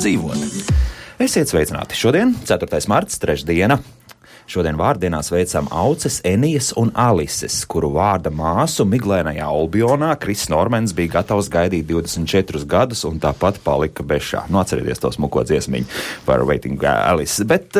Dzīvot. Esiet sveicināti. Šodien, 4. marts, trešdiena. Šodien vārdienā sveicam Auces, Enijas un Alises, kuru vārda māsu miglēnajā Olbionā Kris Normens bija gatavs gaidīt 24 gadus un tāpat palika bešā. Nu, atcerieties to smuko dziesmiņu par Waiting Alice. Bet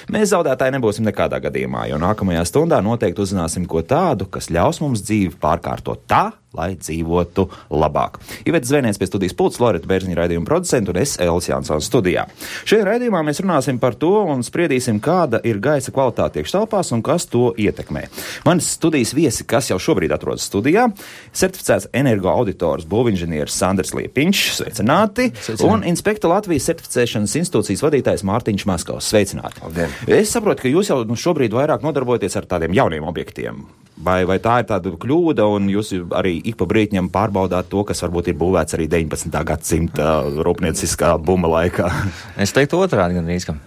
mēs zaudētāji nebūsim nekādā gadījumā, jo nākamajā stundā noteikti uzzināsim ko tādu, kas ļaus mums dzīvi pārkārtot tā, lai dzīvotu labāk. Ivets Zvēniens pie studijas pults, Loreta Bērziņa raidījuma producentu un es, Elis Jansons, studijā. Šajā raidījumā mēs runāsim par to un spriedīsim, kāda ir gaisa kvalitāte iekštelpās un kas to ietekmē. Manis studijas viesi, kas jau šobrīd atrodas studijā, certificēts energoauditors būvinženieris Sandrs Liepiņš, sveicināti, un inspekta Latvijas certificēšanas institūcijas vadītājs Mārtiņš Maskavs, sveicināti. Labdien. Es saprotu, ka jūs jau šobrīd vairāk nodarbojaties ar tādiem jauniem objektiem. Vai tā ir tāda kļūda, un jūs arī ik pa brītņam pārbaudāt to, kas varbūt ir būvēts arī 19. gadsimta rūpnieciskā buma laikā? Es teiktu otrādi gandrīz, ka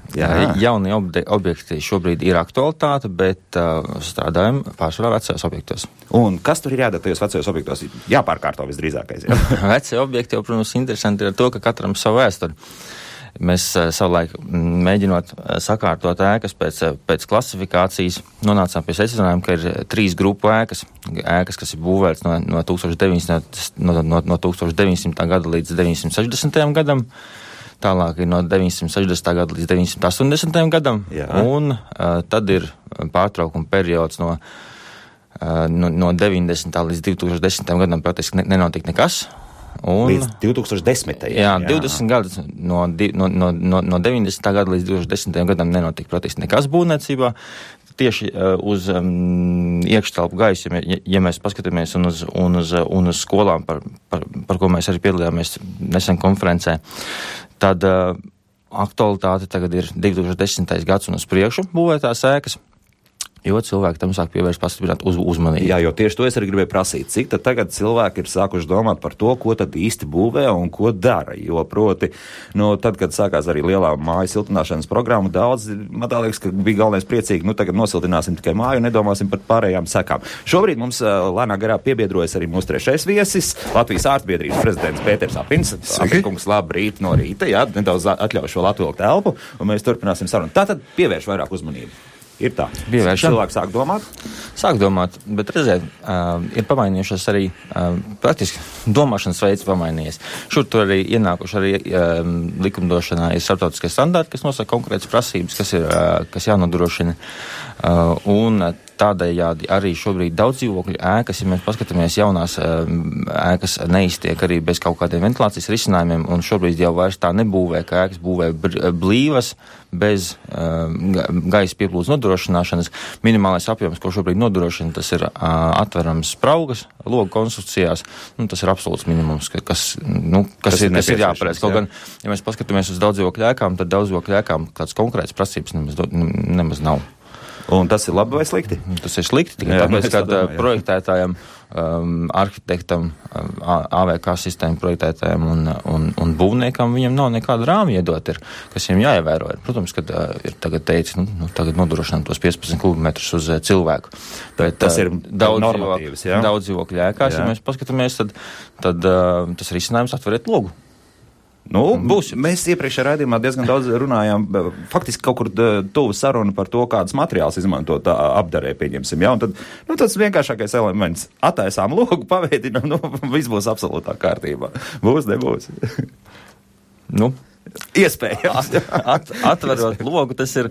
jaunie objekti šobrīd ir aktualitāte, bet strādājam pārsvarā vecajos objektos. Un kas tur ir jādara tajos vecajos objektos? Jāpārkārto visdrīzākais. Jā. Vecie objekti jau, protams, interesanti ir ar to, ka katram savu vēsturi. Mēs savulaik mēģinot sakārtot ēkas pēc klasifikācijas, nonācām pie secinājuma, ka ir 3 grupu ēkas, kas ir būvētas no 1900. Gada līdz 960. gadam, tālāk ir no 960. gada līdz 980. gadam, un tad ir pārtraukuma periods no 90. līdz 2010. gadam praktiski nenotika nekas. Līdz 2010. Jā, 20 gadus no 90. gada līdz 2010. gadam nenotika praktiski nekas būvniecībā. Tieši uz iekštelpu gaisu, ja mēs paskatāmies un uz skolām, par ko mēs arī piedalījāmies nesen konferencē, tad aktualitāte tagad ir 2010. gads un uz priekšu būvētās ēkas. Jo cilvēki tam sāk pievērst pastiprināt uzmanību. Jā, jo tieši to es arī gribēju prasīt. Cik tad tagad cilvēki ir sākuši domāt par to, ko tad īsti būvē un ko dara? Jo proti, tad, kad sākās arī lielā māju siltināšanas programma, daudz, man tā liekas, ka bija galvenais priecīgi, tagad nosiltināsim tikai māju un nedomāsim par pārējām sekām. Šobrīd mums lēnā garā piebiedrojas arī mūsu trešais viesis, Latvijas ārstbiedrības prezidents Pēters Apins. Apins, labrīt no rīta, nedaudz atļaušu vēl atvilkt telpu, un mēs turpināsim sarunu. Tātad pievērš vairāk uzmanību. Ir tā. Cilvēki sāk domāt? Sāk domāt, bet redziet, ir pamainījušas arī praktiski domāšanas veids pamainījies. Šur tur arī ienākuši arī likumdošanā ir starptautiskie standarti, kas nosaka konkrētas prasības, kas jānodrošina. Un tādējādi arī šobrīd daudz dzīvokļu ēkas, ja mēs paskatāmies jaunās ēkas, neiztiek arī bez kaut kādiem ventilācijas risinājumiem, un šobrīd jau vairs tā nebūvē, ka ēkas būvē blīvas, bez gaisa pieplūdes nodrošināšanas. Minimālais apjoms, ko šobrīd nodrošina, tas ir atverams spraugas, logu konstrukcijās, tas ir absolūts minimums, kas ir jāpareiz. Kaut gan, ja mēs paskatāmies uz daudzdzīvokļu ēkām, tad daudzdzīvokļu ēkām kāds konkrēts prasības nemaz nav. Un tas ir labi vai slikti? Tas ir slikti, tikai tāpēc, ka projektētājiem, arhitektam, AVK sistēmu projektētājiem un būvniekam viņam nav nekāda rāmja iedot, kas viņam jāievēro. Protams, kad ir tagad teicis, tagad nodrošinām tos 15 kubimetrus uz cilvēku. Bet tas ir normatīvs, jā? Daudz dzīvokļu ēkās, ja mēs paskatāmies, tad tas risinājums atveriet logu. Mēs iepriekšējā raidījumā diezgan daudz runājām, faktiski kaut kur tuvu saruna par to, kādas materiāls izmantot apdarē, pieņemsim, un tad, tas vienkāršākais elements, attaisām logu, paveidinām, viss būs absolūtā kārtībā. Būs, nebūs. Iespējams. Atverot logu, tas ir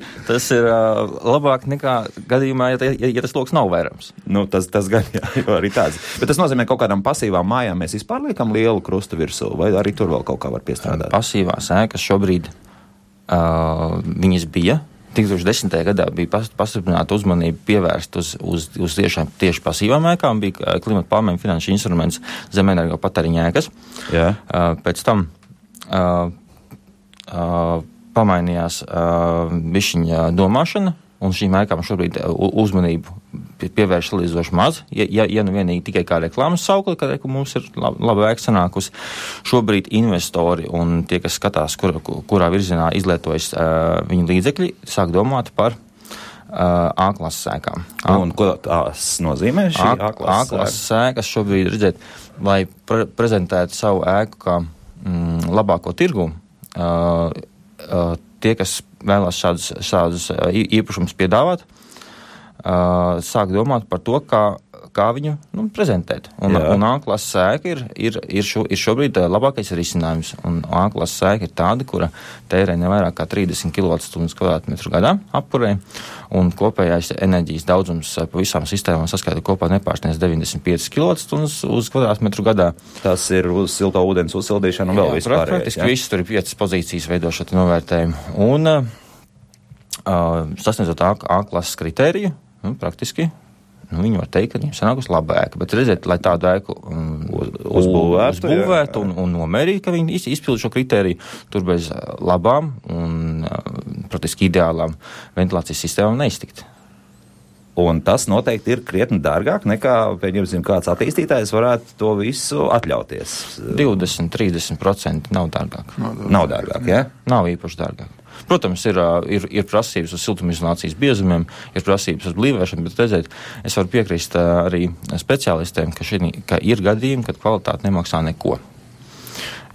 labāk nekā gadījumā, ja tas logs nav vērams. Tas gan, jo arī tāds. Bet tas nozīmē, kaut kādām pasīvām mājām mēs vispār liekam lielu krustu virsū, vai arī tur vēl kaut kā var piestrādāt? Pasīvās ēkas šobrīd viņas bija. 2010. gadā bija pastiprināta uzmanība pievērst uz tieši pasīvām ēkām, bija klimata pārmaiņu finanšu instruments zemenergo patēriņa ēkas. Jā. Pēc tam pamainījās bišķiņa domāšana, un šīm ēkām šobrīd uzmanību pievērš salīdzoši maz, ja nu vienīgi tikai kā reklāmas saukli, ka mums ir laba ēka sanākusi. Šobrīd investori un tie, kas skatās, kurā virzienā izlietojas viņu līdzekļi, sāk domāt par A-klases ēkām. Un ko tās nozīmē šī A-klases ēkas šobrīd, redzēt, lai prezentētu savu ēku kā labāko tirgu, tie, kas vēlās šādus īpašumus piedāvāt, sāk domāt par to, kā viņu prezentēt. Un A-klases ēka ir šobrīd labākais risinājums. Un A-klases ēka ir tāda, kura tērē nevairāk kā 30 kWh gadā apkurē, un kopējais enerģijas daudzums pa visām sistēmām saskaita kopā nepārsniedz 95 kWh uz kvadrātmetru gadā. Tas ir uz silto ūdens uzsildīšanu un vēl vispārējais. Praktiski viss tur ir 5 pozīcijas veidošot novērtējumu. Un sasniedzot A-klases kritēriju, praktiski, viņi var teikt, ka viņiem sanākusi laba ēka, bet redziet, lai tādu ēku uzbūvētu un nomērīt, ka viņi izpildu šo kritēriju, tur bez labām un praktiski ideālām ventilācijas sistēmām neiztikt. Un tas noteikti ir krietni dārgāk nekā, pieņemsim, kāds attīstītājs varētu to visu atļauties. 20-30% nav dārgāk. Nav dārgāk, ja? Nav īpaši dārgāk. Protams, ir prasības uz siltumizolācijas biezumiem, ir prasības uz blīvēšanu, bet redzēt, es varu piekrist arī speciālistiem, ka ir gadījumi, kad kvalitāte nemaksā neko.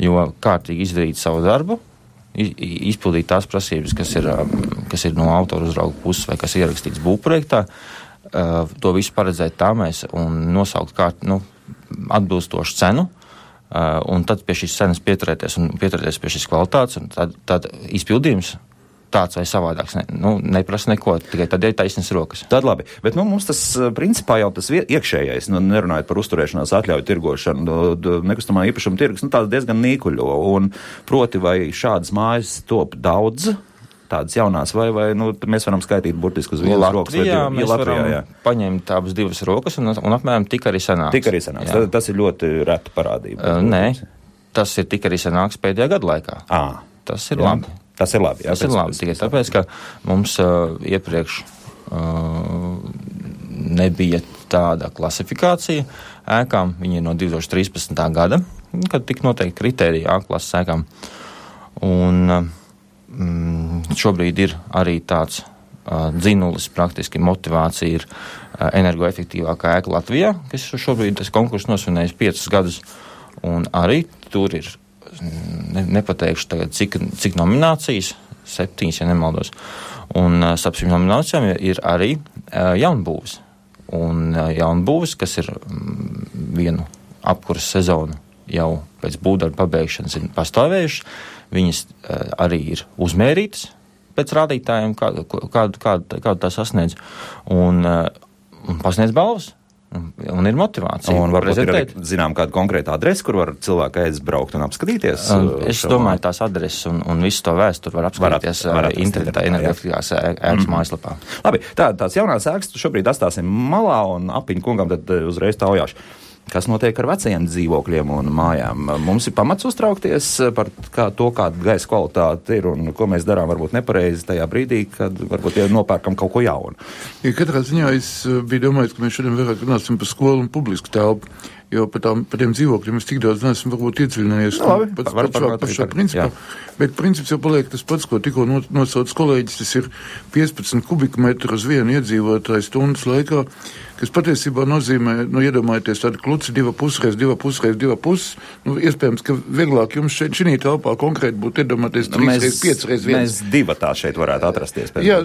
Jo kārtīgi izdarīt savu darbu, izpildīt tās prasības, kas ir no autora uzrauga puses vai kas ir ierakstīts būvprojektā, to visu paredzēt tā mēs un nosaukt atbilstošu cenu, un tad pie šīs cenas pieturēties pie šīs kvalitātes, un tad izpildījums tāds vai savādāks neprasa neko, tikai tad ir taisnas rokas. Tad labi, bet mums tas principā jau tas iekšējais, nerunājot par uzturēšanās atļauju tirgošanu, nekustamā īpašuma tirgus, tāds diezgan nīkuļo, un proti vai šādas mājas top daudz, tādas jaunās, vai mēs varam skaitīt burtiski uz vienas rokas? Mēs varam paņemt abas divas rokas un apmēram tik arī sanāks. Tas ir ļoti reta parādība. Nē, tas ir tik arī sanāks pēdējā gada laikā. Tas ir labi. Tas ir labi, tikai tāpēc, ka mums iepriekš nebija tāda klasifikācija ēkām. Viņi ir no 2013. gada, kad tika noteikti kritērija A-klases ēkām. Un šobrīd ir arī tāds dzinulis, praktiski motivācija ir energoefektīvākā ēka Latvijā, kas šobrīd tas konkurss nosvinējis 5 gadus, un arī tur ir, nepateikšu tagad, cik nominācijas, 7, ja nemaldos, un starp šīm nominācijām ir arī jaunbūves. Un jaunbūves, kas ir vienu apkuras sezonu jau pēc būvdarba pabeigšanas ir pastāvējušas, viņas arī ir uzmērītas pēc rādītājiem, kādu tā sasniedz, un pasniedz balvas, un ir motivācija. Un varbūt ir arī, kāda konkrēta adrese, kur var cilvēki aizbraukt un apskatīties? Es domāju, tās adreses un visu to vēsturi var apskatīties internetā, energoefektīvās ēkas mājaslapā. Labi, tās jaunās ēkas šobrīd atstāsim malā un Apiņu kungam tad uzreiz taujāšu. Kas notiek ar vecajiem dzīvokļiem un mājām? Mums ir pamats uztraukties par to, kāda gaisa kvalitāte ir un ko mēs darām varbūt nepareizi tajā brīdī, kad varbūt nopērkam kaut ko jaunu. Ja katrā ziņā es biju domājis, ka mēs šodien vairāk runāsim par skolu un publisku telpu, jo par tiem dzīvokļiem es tik daudz neesmu varbūt iedziļinājies par šo principu, bet princips jau paliek tas pats, ko tikko nosauc kolēģis, tas ir 15 kubikmetru uz vienu iedzīvotāju stundas laikā, kas patiesībā nozīmē, iedomājieties tādu kluci 2,5 x 2,5 x 2,5, iespējams, ka vieglāk jums šī telpā konkrēti būtu iedomāties 3 x 5 x 1. Mēs divatā šeit varētu atrasties. Jā,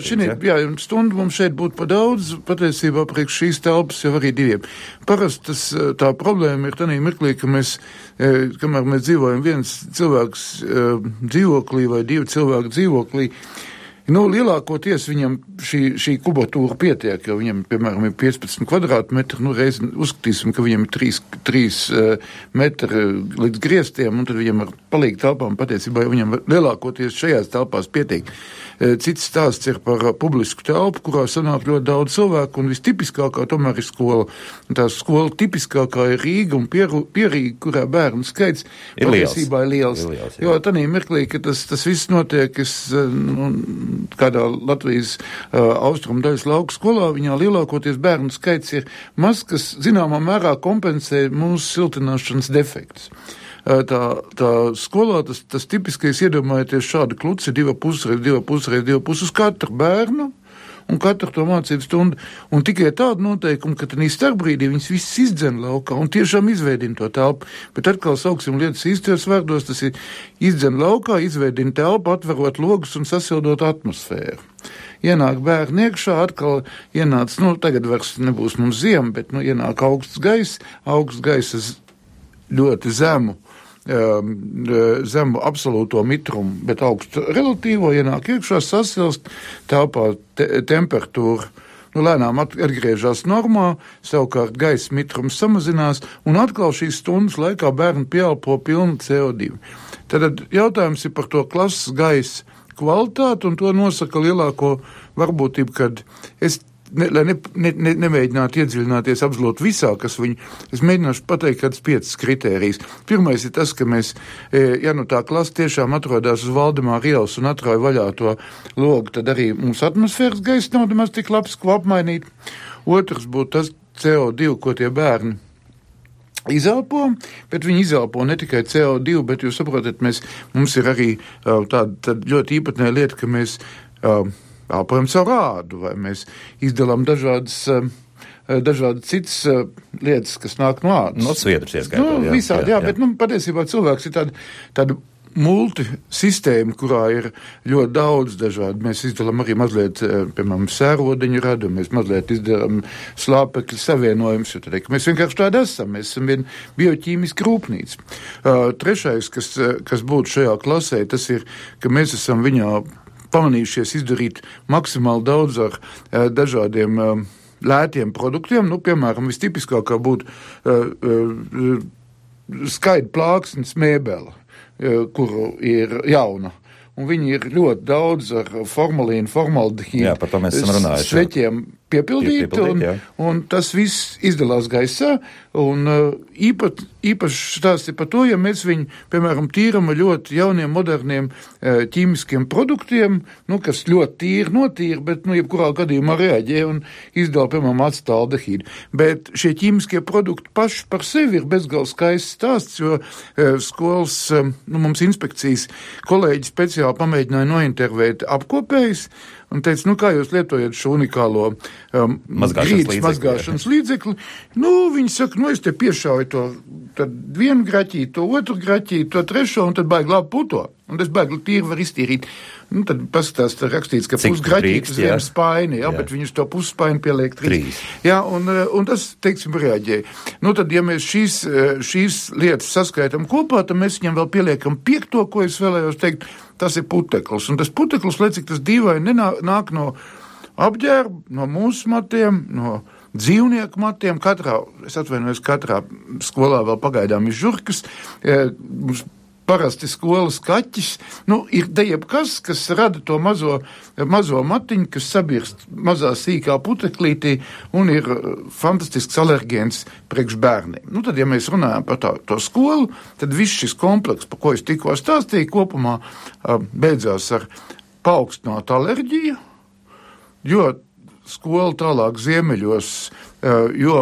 stundu mums šeit būtu pa daudz, patiesībā priekš šīs telpas jau arī 2. Parasti tā problēma ir tādā mirklī, ka kamēr mēs dzīvojam viens cilvēks dzīvoklī vai 2 cilvēku dzīvoklī, lielākoties viņam šī kubatūra pietiek, jo viņam, piemēram, ir 15 kvadrātmetri, reiz uzskatīsim, ka viņam ir 3 metri līdz griestiem, un tad viņam ar palīgu telpām patiesībā viņam lielākoties šajās telpās pietiek. Cits stāsts ir par publisku telpu, kurā sanāk ļoti daudz cilvēku, un vistipiskākā tomēr ir skola. Un tā skola tipiskākā ir Rīga un Pierīga, kurā bērnu skaits patiesībā ir liels. Jo tādā mirklī, ka tas viss notiek, es kādā Latvijas austrumu daļas lauku skolā, viņā lielākoties bērnu skaits ir maz, kas zināmā mērā kompensē mūsu siltināšanas defektus. Tā skolā tas tipiskais iedomājieties šādu kluci 2,5 uz katru bērnu un katru to mācību stundu. Un tikai tādu noteikumu, ka tad starpbrīdī viņas visas izdzen laukā un tiešām izveidina to telpu. Bet atkal sauksim lietas īstajos vārdos, tas ir izdzen laukā, izveidina telpu, atverot logus un sasildot atmosfēru. Ienāk bērni iekšā, atkal ienāc, tagad vairs nebūs mums ziema, bet, ienāk augsts gaisa ļoti zemu absolūto mitrumu, bet augstu relatīvo, ienāk iekšā, sasilst, telpā temperatūra, lēnām atgriežas normā, savukārt gaisa mitrums samazinās, un atkal šīs stundas laikā bērni pieelpo pilnu CO2. Tad jautājums ir par to klases gaisa kvalitāti, un to nosaka lielāko varbūtību, kad lai nemēģinātu iedziļināties absolūti visā, kas es mēģināšu pateikt kādas 5 kritērijas. Pirmais ir tas, ka mēs, tā klase tiešām atrodas uz Valdemāra ielas un atrauj vaļā to logu, tad arī mums atmosfēras gaisa nav nemaz tik labs, ko apmainīt. Otrs būtu tas CO2, ko tie bērni izelpo, bet viņi izelpo ne tikai CO2, bet jūs saprotat, mums ir arī tāda ļoti īpatnē lieta, ka mēs elpojam savu rādu, vai mēs izdalām dažādas citas lietas, kas nāk no ādas. No sviedrus ieskaitot. Visādi, jā, bet patiesībā cilvēks ir tāda multisistēma, kurā ir ļoti daudz dažādi. Mēs izdalām arī mazliet, piemēram, sērodeņu radu, mēs mazliet izdalām slāpekļu savienojumus, jo tad, mēs vienkārši tādi esam, mēs esam viena bioķīmiska rūpnīca. Trešais, kas būtu šajā klasē, tas ir, ka mēs esam viņā pamanījušies izdarīt maksimāli daudz ar dažādiem lētiem produktiem. Piemēram, vistipiskākā būtu skaidra plāksnes mēbele, kuru ir jauna. Un viņi ir ļoti daudz ar formalīnu, formaldehīdu. Jā, par to mēs esam runājuši. Sveķiem piepildīti, un tas viss izdalās gaisā, un īpaši stāsti par to, ja mēs viņu, piemēram, tīram ar ļoti jauniem, moderniem ķīmiskiem produktiem, kas ļoti tīri notīra, bet, jebkurā gadījumā reaģē un izdala, piemēram, acetaldehīdu. Bet šie ķīmiskie produkti paši par sevi ir bezgalīgi skaists stāsts, jo skolas, mums inspekcijas kolēģi speciāli pamēģināja nointervēt apkopējus, un teica, kā jūs lietojat šo unikālo grīdas mazgāšanas līdzekli. Viņi saka, es te piešauju to tad vienu graķīti, to otru graķīti, to trešo, un tad baigi labi puto. Un tas baigi tīri var iztīrīt. Tad paskatās, rakstīts, ka pusgraķīti uz vienu spaini, bet viņus to pusspaini pieliek 3. Jā, un tas, teiksim, reaģēja. Tad, ja mēs šīs lietas saskaitam kopā, tad mēs viņam vēl pieliekam 5, ko es vēlējos teikt, tas ir puteklis. Un tas puteklis, lai cik tas dīvaini nāk no apģērba, no mūsu matiem, no dzīvnieku matiem. Katrā skolā vēl pagaidām ir žurkas, mums parasti skolas kaķis, ir jebkas, kas rada to mazo matiņu, kas sabirst mazā sīkā puteklītī un ir fantastisks alergēns priekš bērniem. Tad, ja mēs runājam par to skolu, tad viss šis kompleks, par ko es tikko stāstīju, kopumā beidzās ar paaugstinātu alerģiju, jo skola tālāk ziemeļos, jo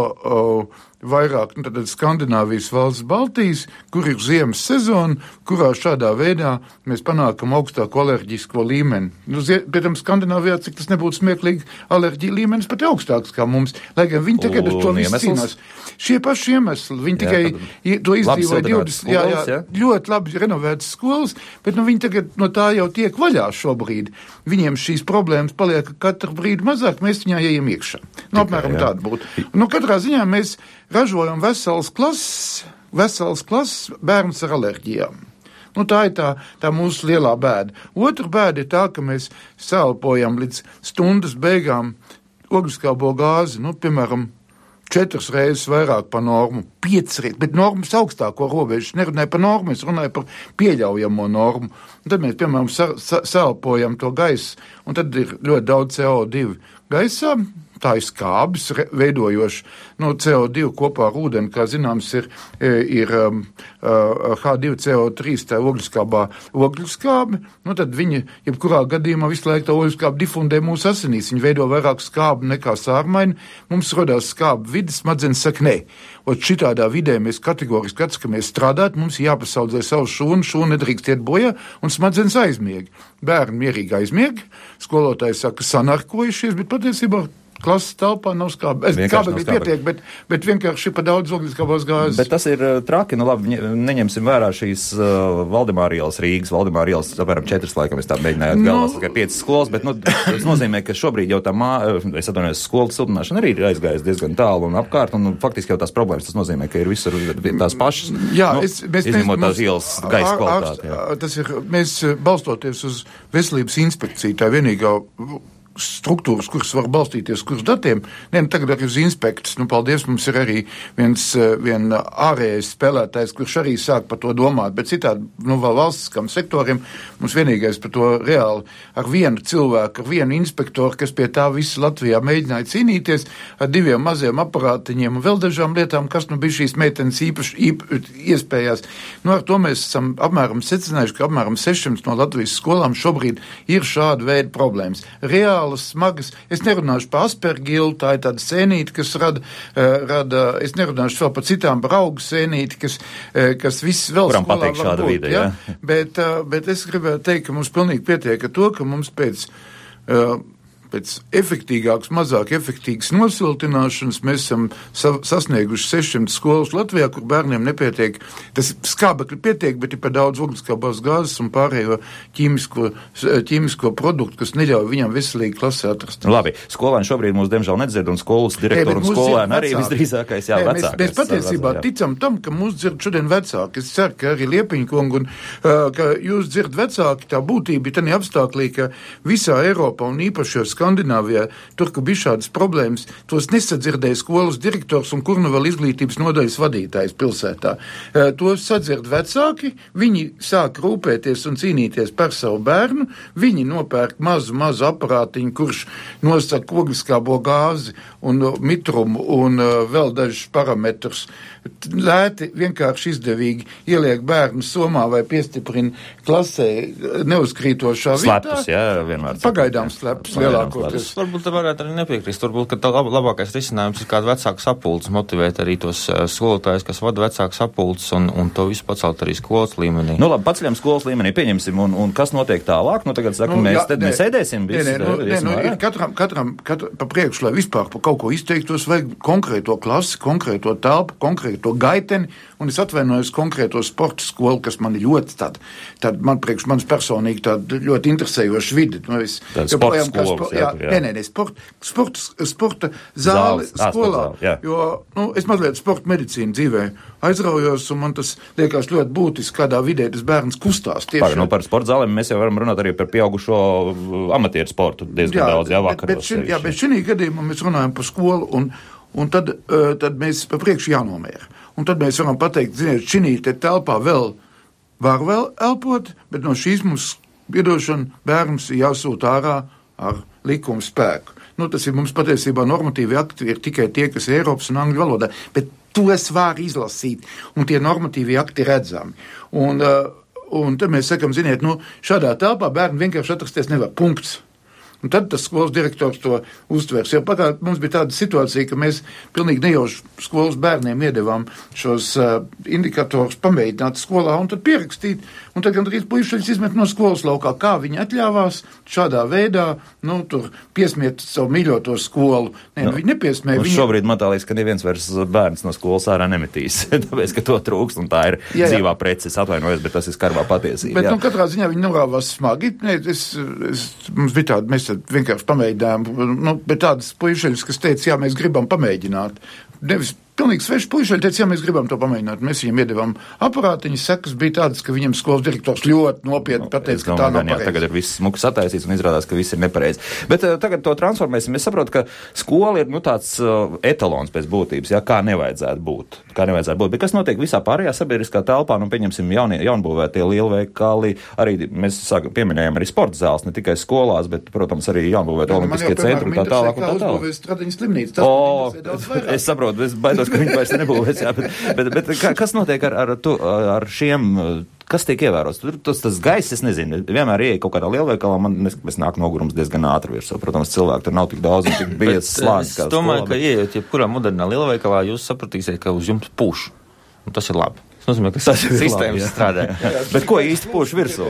vairāk, tad Skandināvijas valsts Baltijas, kur ir ziemas sezona, kurā šādā veidā mēs panākam augstāku alerģisko līmeni. Pēc tam Skandināvijā, cik tas nebūtu smieklīgi, alerģija līmenis pat augstāks kā mums, lai gan viņi tagad ar to visu cīnās. Šie paši iemesli, viņi tikai to izdzīvoja 20, ļoti labi renovētas skolas, bet viņi tagad no tā jau tiek vaļā šobrīd. Viņiem šīs problēmas paliek katru brīdi mazāk, mēs viņā ejam iekšā. Apmēram tāda būtu. Katrā ziņā mēs ražojam veselas klases bērns ar alerģijām. Tā ir tā mūsu lielā bēda. Otra bēda ir tā, ka mēs sēlpojam līdz stundas beigām ogliskābo gāzi, piemēram, 4 reizes vairāk par normu, 5 reizes, bet normas augstāko robežu. Es nerunāju par normu, es runāju par pieļaujamo normu. Un tad mēs, piemēram, sēlpojam to gaisu, un tad ir ļoti daudz CO2 gaisā, tā ir skābis, veidojoši CO2 kopā ar ūdeni, kā zināms, ir H2CO3, tā ogļuskābi, tad viņi, jebkurā gadījumā visu laiku tā ogļuskābi difundē mūsu asinīs, viņi veido vairāk skābu nekā sārmaini, mums rodās skābi vidas, smadzenes saka, nē. Un šitādā vidē mēs kategoriski atskamies strādāt, mums jāpasaudzē savu šūnu nedrīkst iet bojā, un smadzenes aizmieg. Bērni mierīgi aizmieg, skolotāji saka, sanarkojušies, bet patiesībā klases telpā nav skābi. Skābi pietiek, bet vienkārši pa daudz ogļuskābās gāzes. Bet tas ir traki, labi, neņemsim vērā šīs Valdemāra ielas Rīgas, Valdemāra ielas, apmēram 4 laikam, es tā mēģināju galvās, tikai 5 skolas, bet, tas nozīmē, ka šobrīd jau tā es atvainojos, skolu siltināšana arī ir aizgājusi diezgan tālu un apkārt, un faktiski jau tās problēmas, tas nozīmē, ka ir visur tās pašas, izņemot tās ielas gaisa kvalitāti. Tas ir, mēs balstoties uz veselības inspekciju, tā vienīgā struktūras, kuras var balstīties, kuras datiem, tagad arī uz inspektus, paldies, mums ir arī vien ārējais spēlētājs, kurš arī sāk par to domāt, bet citādi, vēl valstiskam sektoriem, mums vienīgais par to reāli ar vienu cilvēku, ar vienu inspektoru, kas pie tā visu Latvijā mēģināja cīnīties, ar 2 maziem aparātiņiem un vēl dažām lietām, kas bija šīs meitenes īpaši iespējās. Ar to mēs esam apmēram secinājuši, ka apmēram 600 no Latvijas skolām šobrīd ir šāda veida problēmas. Reāli smagas. Es nerunāšu par aspergilu, tā ir tāda sēnīte, kas rada, es nerunāšu vēl par citām par augu sēnīti, kas viss vēl kuram skolā var būt. Vide, ja? Bet es gribētu teikt, ka mums pilnīgi pietiek ar to, ka mums pēc efektīgākas, mazāk efektīgas nosiltināšanas mēs esam sasnieguši 600 skolas Latvijā, kur bērniem nepietiek. Tas skābekļi pietiek, bet ir par daudz ogļuskābās gāzes un pārējo ķīmisko produktu, kas neļauj viņam veselīgi klasē atrast. Labi, skolēni šobrīd mūs diemžam nedzird, un skolas direktori un skolēni arī visdrīzākais vecāki. Mēs patiesībā ticam tam, ka mūs dzird šodien vecāki. Es ceru, ka arī Liepiņa kungu un ka jūs dzird vecāki, tā būtība ir tādā apstāklī, ka visā Eiropā un īpaši Skandināvijā, tur, ka bija šādas problēmas, tos nesadzirdēja skolas direktors un kur nu vēl izglītības nodaļas vadītājs pilsētā. Tos sadzird vecāki, viņi sāk rūpēties un cīnīties par savu bērnu, viņi nopērk mazu aparātiņu, kurš nosaka ogļuskābo gāzi un mitrumu un vēl dažus parametrus. Lēti, vienkārši izdevīgi ieliek bērnu somā vai piestiprina klasē neuzkrītošā vietā. Slepus, jā, vienmēr. Pagaidām slepus lielākoties. Varbūt te varētu arī nepiekrist. Varbūt, ka tā labākais risinājums ir kādu vecāku sapulces motivēt arī tos skolotājus, kas vada vecāku sapulces un to visu pacelt arī skolas līmenī. Nu labi, paceļam skolas līmenī, pieņemsim, un kas notiek tālāk? Tagad saka, mēs ēdēsim visu. Katram pa priekšu, lai vispār pa kaut ko izteiktos, vajag konkrēto klasi, konkrēto telpu, konkrēto gaiteni, un es atvainojos konkrēto sporta skolu, kas man ir ļoti tāda man priekš manis personīgi tāda ļoti interesējoša vidi. Sporta skolas, sporta zāli skolā, jo es mazliet sporta medicīnu dzīvē aizraujos, un man tas liekas ļoti būtiski, kādā vidē tas bērns kustās. Par sporta zālēm mēs jau varam runāt arī par pieaugušo amatieru sportu diezgan daudz, vakaros. Bet šī gadījumā mēs runājam par skolu, un tad mēs pa priekšu jānomēra. Un tad mēs varam pateikt, ziniet, šī telpā var elpot, bet no šīs mums piedošana bērns ir jāsūt ārā ar likumu spēku. Tas ir mums patiesībā normatīvi akti ir tikai tie, kas ir Eiropas un Angļu valodā, bet to es varu izlasīt, un tie normatīvi akti redzami. Un tad mēs sakam, ziniet, šādā telpā bērni vienkārši atrasties nevar, punkts. Un tad tas skolas direktors to uztvers. Jo pagātnē mums bija tāda situācija, ka mēs pilnīgi nejauši skolas bērniem iedevām šos indikatorus pamēģināt skolā un tad pierakstīt. Un tad gandrīz puišaļus izmet no skolas laukā, kā viņi atļāvās šādā veidā, tur piesmiet savu mīļoto skolu. Viņi nepiesmēja. Šobrīd man tā liekas, ka neviens vairs bērns no skolas ārā nemetīs, tāpēc, ka to trūkst, un tā ir dzīvā prece. Es atvainojos, bet tas ir skarbā patiesība. Bet katrā ziņā viņi norāvās smagi. Mums bija tāda, mēs vienkārši pamēģinājām, bet tādas puišaļus, kas teica, jā, mēs gribam pamēģināt. Nevis pilnīgi sveši puiši, teica, ja mēs gribam to pamēģināt, mēs viņiem iedevām aparātiņas, sekas bija tādas, ka viņam skolas direktors ļoti nopietni pateica, ka tā nav pareizi. Tagad ir viss smuki sataisīts un izrādās, ka viss ir nepareizi. Bet tagad to transformēsim. Es saprotu, ka skola ir tāds etalons pēc būtības, kā nevajadzētu būt. Bet kas notiek visā pārējā sabiedriskā telpā, pieņemsim jaunbūvētie lielveikali, arī mēs pieminējām arī sporta zāles, ne tikai skolās, bet, protams, arī jaunbūvētie olimpiskie centri un tā tālāk. Es saprotu, es baidos, ka viņi vairs nebūvēs, bet kas notiek ar šiem, kas tiek ievērots? Tas gaiss, es nezinu, vienmēr ieeja kaut kādā lielveikalā, mēs nāk nogurums diezgan ātri virsū. Protams, cilvēki tur nav tik daudz un tik biezs slānis. Es domāju, ka ieejot jebkurā modernā lielveikalā, jūs sapratīsiet, ka uz jums pūš. Un tas ir labi. Tas nozīmē, ka sistēmas strādā. Bet ko īsti pūš virsū?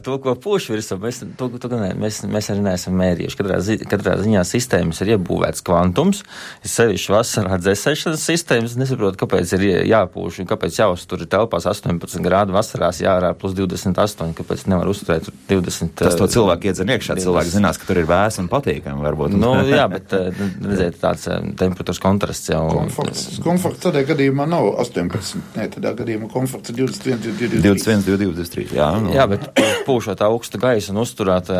To, ko pūš virsū, mēs arī neesam mērījuši. Katrā ziņā sistēmas ir iebūvēts kvantums. Es sevišķi vasarā dzēsēšanas sistēmas nesaprotu, kāpēc ir jāpūš un kāpēc jāuztur telpās 18 grādu vasarās jārā plus 28, kāpēc nevar uzturēt 20. Tas to cilvēku iedzen iekšā. Cilvēki zinās, ka tur ir vēs un patīkami varbūt. Jā, bet redziet, tāds temperatūras kontrasts jau. Komforts tādā gadījumā nav 18. Tādā gadījumā komforts ir 21, 23. Jā, bet pūšot augstu gaisu un uzturēt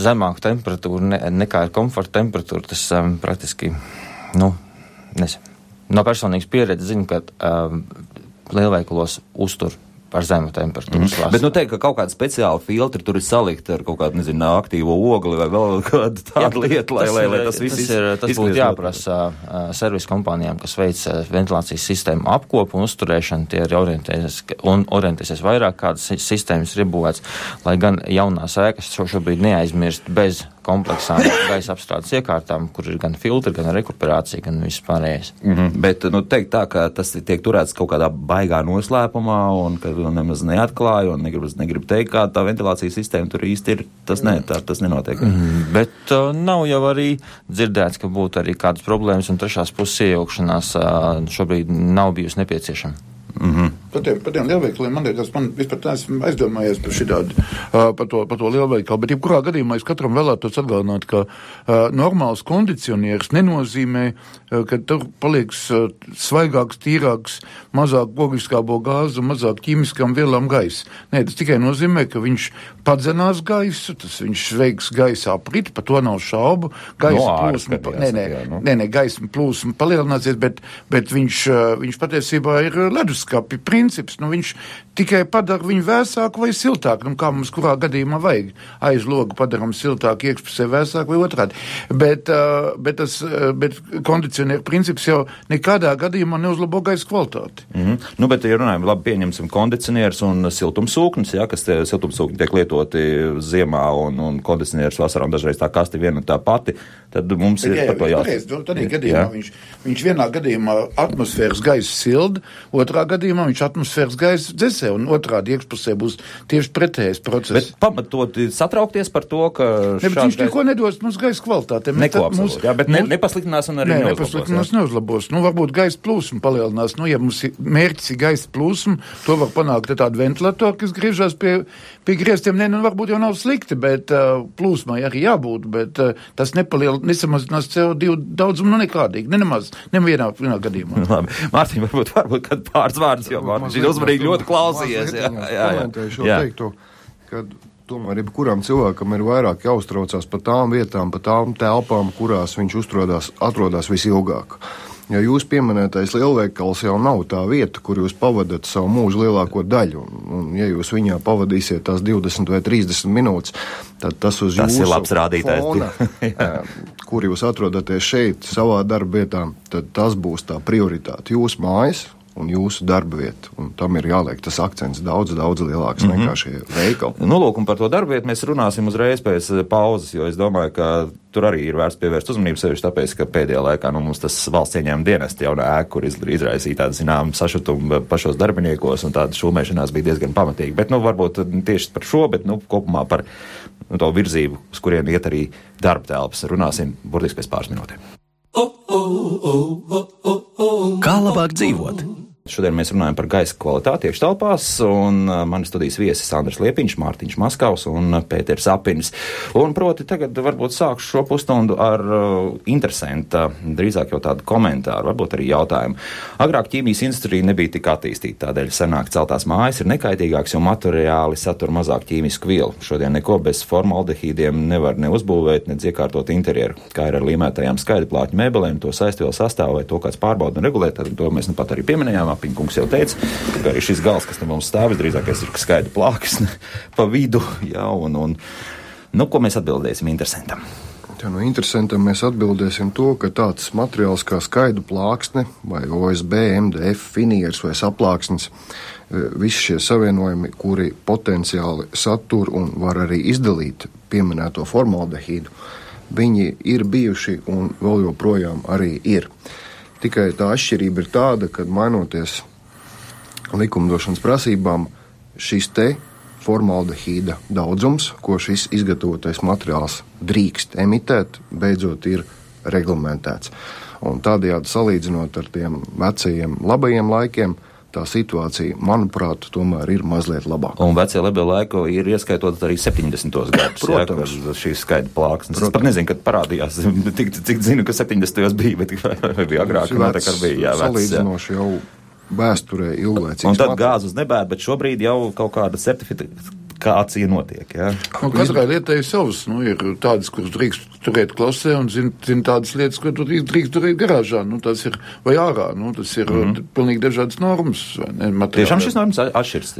zemāku temperatūru nekā ir komforta temperatūra, tas praktiski, nezinu. No personīgas pieredzes zinu, ka lielveikalos uztur par zemu temperatūras vasarā. Bet teikt, ka kaut kāda speciāla filtri tur ir salikta ar kaut kādu, nezinu, aktīvo ogli vai vēl kādu tādu lietu, lai tas viss tas būtu jāprasa servisu kompānijām, kas veic ventilācijas sistēmu apkopu un uzturēšanu, tie ir orientēsies vairāk, kādas sistēmas ir iebūvēts, lai gan jaunās ēkas šobrīd neaizmirst bez kompleksām gaisa apstrādes iekārtām, kur ir gan filtri, gan rekuperācija, gan viss pārējais. Bet, teikt tā, ka tas tiek turēts kaut kādā baigā noslēpumā un ka nemaz neatklāja un negribu teikt, kā tā ventilācijas sistēma tur īsti ir, tas nenotiek. Bet nav jau arī dzirdēts, ka būtu arī kādas problēmas un trešās puses iejaukšanās šobrīd nav bijusi nepieciešama. Par tiem lielveikaliem man vispār tā esmu aizdomājies par šitādu, par to lielveikalu, bet jebkurā gadījumā es katram vēlētos atgādināt, ka normāls kondicionieris nenozīmē, ka tur palieks svaigāks, tīrāks, mazāk ogliskābo gāzu, mazāk ķīmiskām vielām gaisa. Nē, tas tikai nozīmē, ka viņš padzenās gaisu, viņš veiks gaisa apriti, par to nav šaubu. Gaisa plūsma palielināsies, bet viņš patiesībā ir leduskapi princips. Viņš tikai padara viņu vēsāku vai siltāku, kā mums kurā gadījumā vajag. Aiz logu padaram siltāku, iekšpusē vēsāku vai otrādi. Bet kondicionieru princips jau nekādā gadījumā neuzlabo gaisa kvalitāti. Bet, ja runājam, labi pieņemsim kondicionierus un siltumsūknis, kas siltumsūkni tiek lietoti ziemā un kondicionierus vasarā un dažreiz tā kasti viena un tā pati, tad mums ir par to jāsaka. Tādā gadījumā viņš vienā gadījumā atmosfēras gaisu silda, otrā gadījumā viņš atmosfēras gaisu dzesē, un otrādi iekšpusē būs tieši pretējais process. Bet pamatot satraukties par to, ka viņš neko nedos mums gaisa kvalitātē. Bet nepasliktinās un arī neuzlabos. Varbūt gaisa plūsma palielinās. Ja mums mērķis ir gaisa plūsma, to var panākt tādu ventilatoru, kas griežās pie griestiem. Varbūt jau nav slikti, bet plūsmai arī jābūt, bet tas nesamazinās CO2 daudzumu nekādīgi. Nevienā gadījumā. Labi. Mārtiņ, varbūt kad pāris vārdus, jo Mārtiņš ir uzmanīgi ļoti klausījies. Komentēšu jau teiktu, ka tomēr jebkuram cilvēkam ir vairāk jāuztraucās par tām vietām, par tām telpām, kurās viņš atrodas visilgāk. Ja jūs pieminētais lielveikals jau nav tā vieta, kur jūs pavadat savu mūžu lielāko daļu, un ja jūs viņā pavadīsiet tās 20 vai 30 minūtes, tad tas uz jūsu fona, kur jūs atrodaties šeit, savā darba vietā, tad tas būs tā prioritāte. Jūsu mājas un jūsu darba vieta. Un tam ir jāliek tas akcents daudz lielāks nekā šie veikali. Lūk, un par to darba vietu mēs runāsim uzreiz pēc pauzes, jo es domāju, ka tur arī ir vērts pievērst uzmanību sevišķi tāpēc, ka pēdējā laikā mums tas valsts ieņēmuma dienesta jaunā ēka, kur izraisīja tādu zinām sašutumu pašos darbiniekos un tāda šūmēšanās bija diezgan pamatīga. Bet varbūt tieši par šo, bet kopumā par to virzību, uz kurien iet arī darba telpas. Runāsim burtiski pēc pāris minūtēm. Kā labāk dzīvot? Šodien mēs runājam par gaisa kvalitāti iekštelpās, un mani studijas viesis Andris Liepiņš, Mārtiņš Maskavs un Pēters Apinis. Un proti tagad varbūt sākšu šo pusstundu ar interesanta, drīzāk jau tādu komentāru, varbūt arī jautājumu. Agrāk ķīmijas industrija nebija tik attīstīta, tādēļ senāk celtās mājas ir nekaitīgāks, jo materiāli satur mazāk ķīmisku vielu. Šodien neko bez formaldehīdiem nevar ne uzbūvēt, ne iekārtot interjeru, kā ir ar līmētajām skaidrplāķu mēbelēm, to saistvielu sastāvu vai to kāds pārbauda un regulē, tad to mēs nu pat arī pieminējām. Apiņkungs jau teica, ka arī šis gals, kas te mums stāv, drīzākais ir skaidra plāksnes pa vidu, jā, un ko mēs atbildēsim interesantam? Ja, interesantam mēs atbildēsim to, ka tāds materiāls kā skaidra plāksne vai OSB, MDF, finieris vai saplāksnes, visi šie savienojumi, kuri potenciāli satur un var arī izdalīt pieminēto formaldehīdu, viņi ir bijuši un vēl joprojām arī ir. Tikai tā atšķirība ir tāda, ka mainoties likumdošanas prasībām, šis te formaldehīda daudzums, ko šis izgatavotais materiāls drīkst emitēt, beidzot ir reglamentēts. Un tādējādi salīdzinot ar tiem vecajiem labajiem laikiem, tā situācija, manuprāt, tomēr ir mazliet labāka. Un vecie labie laiki ir ieskaitot arī 70. gadus. Protams. Jā, šīs skaidra plāksnes. Es pat nezinu, kad parādījās, cik zinu, ka 70. bija, bet vai bija agrāk, noteikti arī bija. Jā, salīdzinoši jau vēsturē ilglaicīgs. Un tad gāz uz nebēr, bet šobrīd jau kaut kāda certifikācija notiek, jā. Katrai lietai savas, ir tādas, kuras drīkst turēt klasē, un zin tādas lietas, ko drīkst turēt garāžā, tas ir, vai ārā, tas ir pilnīgi dažādas normas. Tiešām šis normas atšķirs?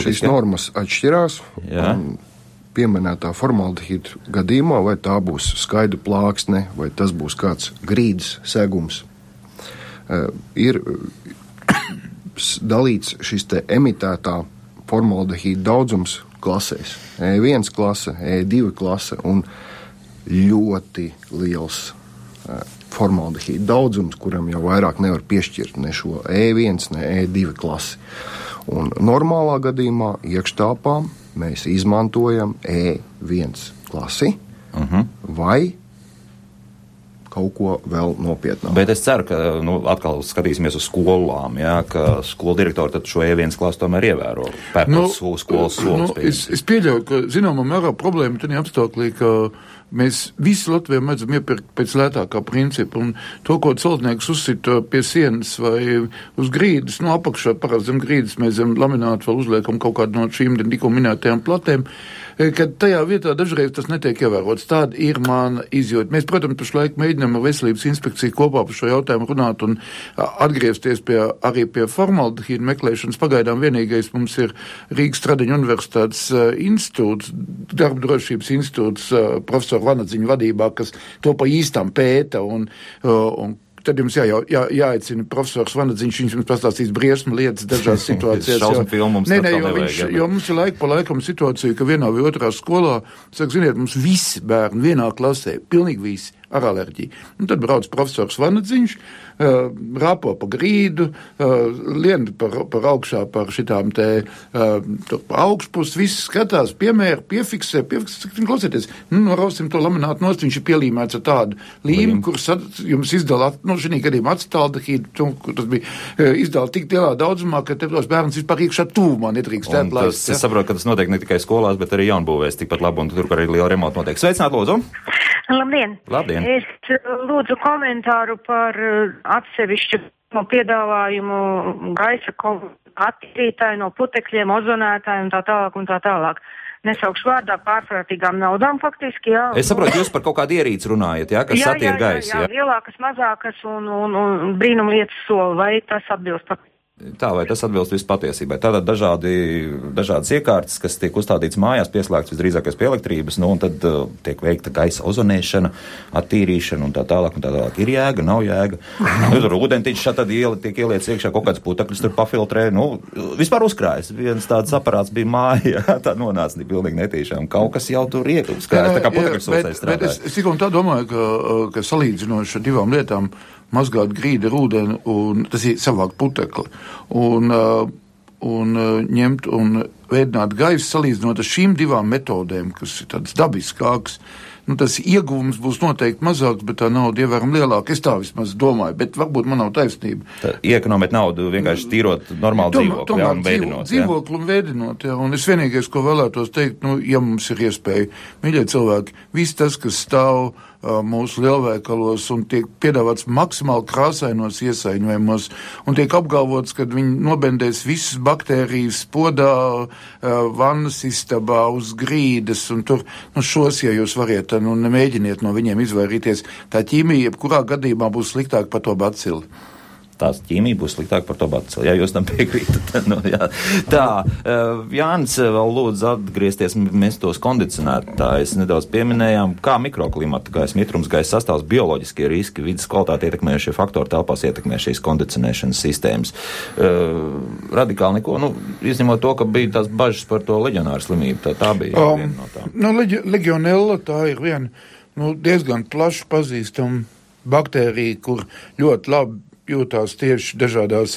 Šīs normas atšķirās, un pieminētā formaldehīda gadījumā, vai tā būs skaidra plāksne, vai tas būs kāds grīdas segums, ir dalīts šis te emitētā formaldehīda daudzums klasēs. E1 klase, E2 klase un ļoti liels formaldehīda daudzums, kuram jau vairāk nevar piešķirt ne šo E1, ne E2 klasi. Un normālā gadījumā iekštāpām mēs izmantojam E1 klasi vai kaut ko vēl nopietnāk. Bet es ceru, ka atkal skatīsimies uz skolām, jā, ka skolu direktori tad šo E1 klasu tomēr ievēro. Pērkot skolas solis. Es pieļauju, ka zināmā mērā problēma tad apstāklī, ka mēs visi Latvijā mēdzam iepirkt pēc lētākā principa, un to, ko celtnieks uzsita pie sienas vai uz grīdas, apakšā parasti zem grīdas mēs zem laminātu vēl uzliekam kaut kādu no šīm tikko minētajām platēm, kad tajā vietā dažreiz tas netiek ievērots. Tāda ir mana izjūta. Mēs, protams, pašlaik mēģinām ar veselības inspekciju kopā par šo jautājumu runāt un atgriezties arī pie formaldehīda meklēšanas. Pagaidām vienīgais mums ir Rīgas Stradiņu universitātes institūts, darba drošības institūts, profesora Vanadziņa vadībā, kas to pa īstām pēta un tad jums jāaicina profesors Vanadziņš, viņš jums pastāstīs briesmu lietas dažās situācijās. Šausmu filmu mums jo mums ir laika pa laikam situācija, ka vienā vai otrā skolā, ziniet, mums visi bērni vienā klasē, pilnīgi visi, ar alerģiju. Un tad brauc profesors Vanadziņš, rāpo pa grīdu, lien par augšā par šitām te augšpus, viss skatās, piemēra, piefiksē, klausieties, norausim to laminātu nost, viņš ir pielīmēts ar tādu līmu, kurus jums izdala, šī gadījumā acetaldehīdu, tas bija izdala tik lielā daudzumā, ka tos bērns vispār iekšā tūmā nedrīkstēt laist. Es saprotu, ka tas notiek ne tikai skolās, bet arī jaunbūvēs tikpat labi, un tur arī liela remonta notiek. Sveicināt, lūdzu! Labdien! Labdien! Es lūdzu komentāru par atsevišķu piedāvājumu gaisa attīrītāju no putekļiem, ozonētāju un tā tālāk un tā tālāk. Nesaukšu vārdā pārprātīgām naudām faktiski, jā. Es saprotu, jūs par kaut kādu ierīci runājat, jā, kas attīra gaisu, jā? Jā, lielākas, mazākas un brīnumlietas soli, vai tas atbilst pat? Tā, vai tas atbilst visu patiesībai? Tātad dažādas iekārtas, kas tiek uzstādīts mājās, pieslēgts visdrīzākais pie elektrības, un tad tiek veikta gaisa ozonēšana, attīrīšana un tā tālāk. Ir jēga, nav jēga. Tur ūdentiņš tad tiek ieliec iekšā, kaut kāds putekļus tur pafiltrē. Vispār uzkrājas. Viens tāds aparāts bija mājā, tā nonāca pilnīgi netīšām. Kaut kas jau tur uzkrājas, tā kā putekļus uzsēs strādāja. Bet es tikai un tā domāju, ka salīdzinoši ar divām lietām mazgāt grīdu ar ūdeni, un tas ir savākt putekli, un ņemt un veidināt gaisu salīdzinot ar šīm divām metodēm, kas ir tādas dabiskākas. tas ieguvums būs noteikti mazāks, bet tā nauda ievērojami lielāka. Es tā vismaz domāju, bet varbūt man nav taisnība. Iekonomēt naudu vienkārši tīrot normālu dzīvokli, jā, un veidinot. Dzīvokli un veidinot, jā. Un es vienīgais, ko vēlētos teikt, ja mums ir iespēja, mīļie cilvēki, viss tas, kas stāv mūsu lielveikalos un tiek piedāvāts maksimāli krāsainos iesaiņojumos un tiek apgalvots, ka viņi nobendēs visas baktērijas podā, vannas istabā, uz grīdas un tur, šos, ja jūs variet, nemēģiniet no viņiem izvairīties. Tā ķīmija, jebkurā gadījumā būs sliktāk par to bacili. Tās ķīmija būs sliktāk par to bacili, ja jūs tam piekrītat. Jā. Tā, Jānis vēl lūdzu atgriezties, mēs tos kondicionētājus nedaudz pieminējām, kā mikroklimata gaisa, mitrums gaisa sastāvs, bioloģiskie riski, vidas kvalitāti ietekmējušie faktori telpās ietekmē šīs kondicionēšanas sistēmas. Radikāli neko, izņemot to, ka bija tās bažas par to leģionāru slimību, tā bija viena no tām. Legionella tā ir viena diezgan plaši pazīstama baktērija, kur ļoti labi jūtās tieši dažādās,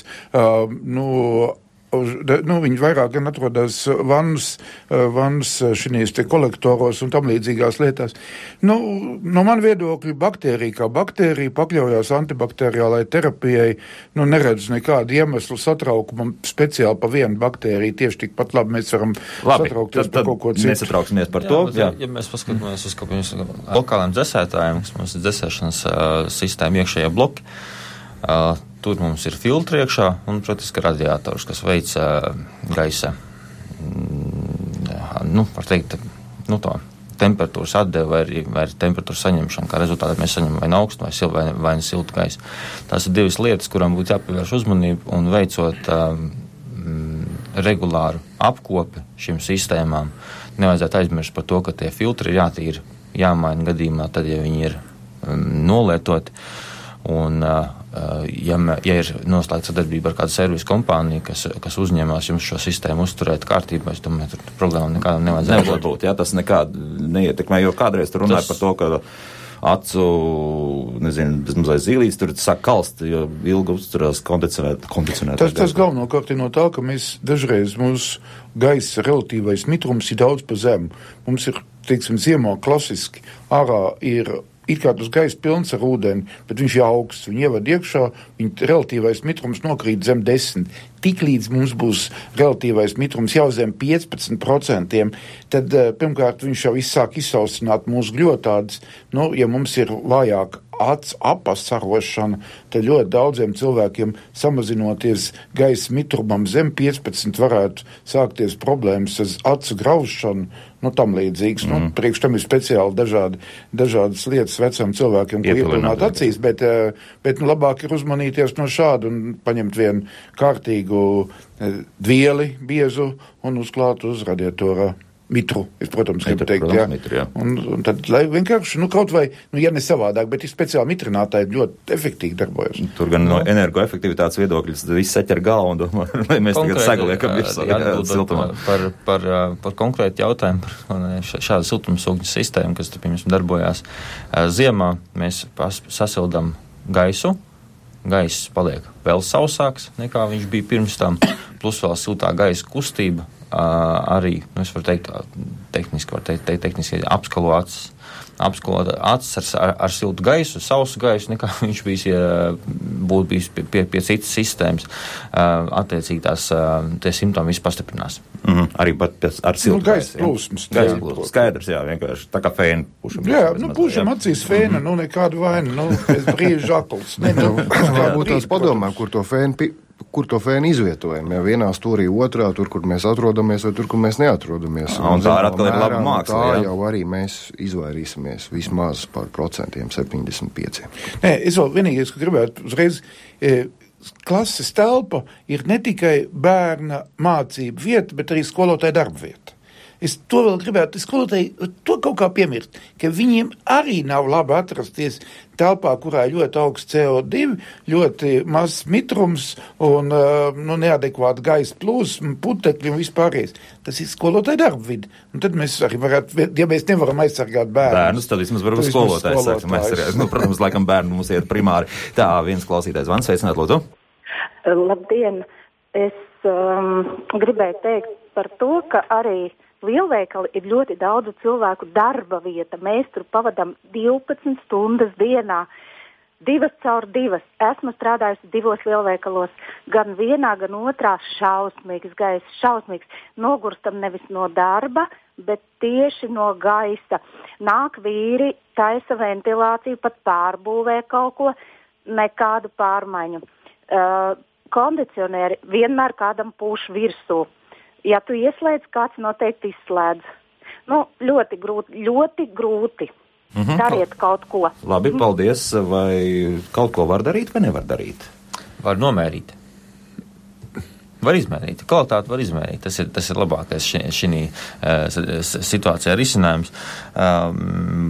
viņi vairāk gan atrodas vannas šinīs te kolektoros un tam līdzīgās lietās. No man viedokļa baktērija kā baktērija pakļaujās antibakteriālai terapijai, neredz nekādu iemeslu satraukumam speciāli pa vienu baktēriju, tieši tikpat labi mēs varam satraukties par kaut ko citu. Nesatrauksimies par to. Ja mēs paskatāmies uz lokāliem dzesētājiem, kas mums ir dzesēšanas sistēma iekšējā bloki, tur mums ir filtri iekšā un, protams, radiators, kas veic gaisa, var teikt, to temperatūras atdevi vai temperatūras saņemšanu, kā rezultātā mēs saņemam vai augstu vai siltu gaisu. Tās ir divas lietas, kurām būtu jāpievērš uzmanību un veicot regulāru apkopi šīm sistēmām. Nevajadzētu aizmirst par to, ka tie filtri ir jātīra, jāmaina gadījumā, tad, ja viņi ir nolietoti. Un, ja ir noslēgta sadarbība ar kādu servisu kompāniju, kas uzņemās jums šo sistēmu uzturēt kārtībā, es domāju, tur problēma nekādam nevajadzētu būt. Jā, tas nekādu neietekmē, jo kādreiz tur runāja par to, ka acu, bezmazliet zīlītes, tur sāk kalst, jo ilgi uzturās kondicionēt. Tas galvenokārt ir no tā, ka mēs dažreiz mūsu gaisa relatīvais mitrums ir daudz pa zemu. Mums ir, ziemā klasiski, ārā ir it kā tas gaisa pilns ar ūdeni, bet viņš jau augsts, viņi ievad iekšā, viņa relatīvais mitrums nokrīt zem 10. Tiklīdz mums būs relatīvais mitrums jau zem 15%, tad pirmkārt viņš jau sāk izsaucināt mūsu gļotādes. Ja mums ir vājāk apasarošana, tad ļoti daudziem cilvēkiem samazinoties gaisa mitrumam zem 15 varētu sākties problēmas ar acu graušanu, tam līdzīgs. Priekš tam ir speciāli dažādas lietas vecam cilvēkiem, ko iepilināt acīs, bet labāk ir uzmanīties no šādu un paņemt vienu kārtīgu dvieli, biezu un uzklāt uz radiatorā. Mitru, es, protams, gribu teikt, jā. Mitru, jā. Un tad, lai vienkārši, kaut vai, ja ne savādāk, bet ir speciāli mitrinātāji ļoti efektīgi darbojas. Tur gan no energoefektivitātes viedokļas viss saķer galvu un domā, lai mēs tagad sagaliekam virsā siltumā. Par konkrētu jautājumu par šādu siltumsūkņu sistēmu, kas, piemēram, darbojās ziemā, mēs sasildam gaisu. Gaiss paliek vēl sausāks, nekā viņš bija pirms tam, plus vēl siltā gaisa kustība. Arī, es varu teikt, tehniski apskalo acis ar siltu gaisu, sausu gaisu, nekā viņš būtu bijis pie citas sistēmas. Attiecīgi tie simptomi viss pastiprinās. Arī pat ar siltu gaisa plūsmas. Skaidrs, jā, vienkārši tā kā fēna pušam. Jā, pušam acīs fēna, nekādu vainu, pēc brīža akls. Varbūt tās padomā, kur to fēnu izvietojam, ja vienā stūrī, otrā, tur, kur mēs atrodamies, vai tur, kur mēs neatrodamies. Un tā atkal ir laba māksla, jā. Tā jau arī mēs izvairīsimies vismaz par 75%. Nē, es vēl vienīgais, ka gribētu uzreiz, klases telpa ir ne tikai bērna mācību vieta, bet arī skolotāja darba vieta. Es to vēl gribētu, skolotāji to kaut kā piemirst, ka viņiem arī nav labi atrasties telpā, kurā ir ļoti augsts CO2, ļoti mazs mitrums un neadekvāta gaisa plūsma, putekļi un vispārējais. Tas ir skolotāja darba vidi. Un tad mēs arī varētu, ja mēs nevaram aizsargāt bērnus, tad vismaz varam skolotājs sāksim aizsargāt. Protams, laikam bērnu mums iet primāri. Tā, viens klausītājs Vans, sveicināt, lūdzu. Labdien! Es gribēju teikt par to, ka arī lielveikali ir ļoti daudzu cilvēku darba vieta. Mēs tur pavadām 12 stundas dienā, 2x2. Esmu strādājusi 2 lielveikalos, gan vienā, gan otrā. Šausmīgs gaiss, šausmīgs. Nogurstam nevis no darba, bet tieši no gaisa. Nāk vīri, taisa ventilāciju, pat pārbūvē kaut ko, nekādu pārmaiņu. Kondicionieri vienmēr kādam pūš virsū. Ja tu ieslēdz, kāds noteikti izslēdz. Ļoti grūti. Dariet kaut ko. Labi, paldies. Vai kaut ko var darīt vai nevar darīt? Var nomērīt. Var izmērīt. Kvalitāti var izmērīt. Tas ir labākais šī situācijā risinājums.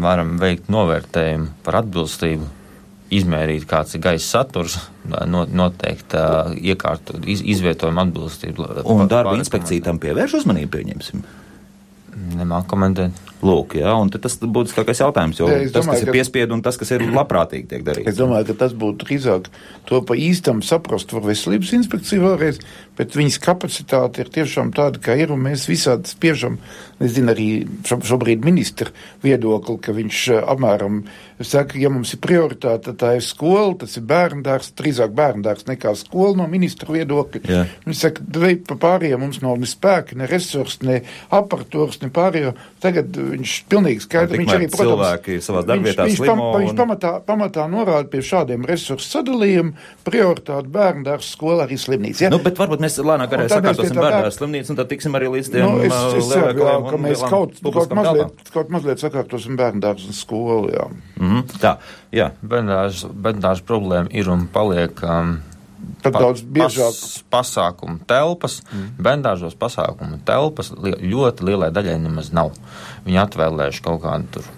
Varam veikt novērtējumu par atbilstību, izmērīt, kāds ir gaisa saturs, noteikt iekārtu izvietojumu atbilstību. Un darba inspekcija tam pievērš uzmanību, pieņemsim? Nemāk komentēt. Lūk, jā, un tas būtu kākais jautājums, jo tas, kas ir piespiedu un tas, kas ir labprātīgi tiek darīts. Es domāju, ka tas būtu drīzāk to pa īstam saprast var veselības inspekcija vēlreiz, bet viņas kapacitāte ir tiešām tāda, kā ir, un mēs visādi spiežam, nezinu, arī šobrīd ministra viedokli, ka viņš apmēram saka, ja mums ir prioritāte, tā ir skola, tas ir bērndārs, drīzāk bērndārs nekā skola no ministra viedokļa. Jā. Viņš saka, pa pārējiem mums nav ne spēki, ne resursi, ne aparatūras, ne pārējo. Tagad viņš pilnīgi skaidri, viņš arī, protams, cilvēki savās darbvietās slimo. Viņš pamatā norāda pie šādiem resursu sadalījumu, prioritāti bērndārs, skola, arī slimnīca. Ja? Bet varbūt mēs lēnāk arī sakārtosim bērndārs slimnīcu, un tad tiksim arī līdz tiem lielākajiem ka mēs kaut mazliet sakārtosim bērndārs un skolu, jā. Tā, jā. Bērndārs problēma ir un paliek daudz biežāk pasākumu telpas. Bērndārzos pasākumu telpas ļoti lielai daļai nemaz nav. Viņi atvēlējuši kaut kādu tur,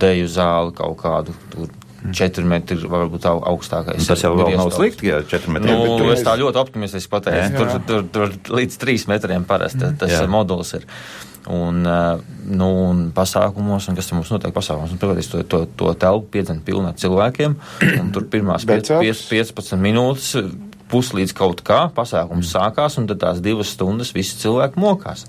deju zāli, kaut kādu tur 4 metri varbūt augstākais. Tas jau vēl nav slikti, ja 4 metri. Es tā ļoti optimistiski pateicu. Tur līdz 3 metriem parasti tas modulis ir. Un pasākumos, un kas te mums notiek pasākumos, to telpu piedzen pilnā cilvēkiem, un tur pirmās 15 minūtes puslīdz kaut kā pasākums sākās, un tad tās 2 stundas visi cilvēki mokās.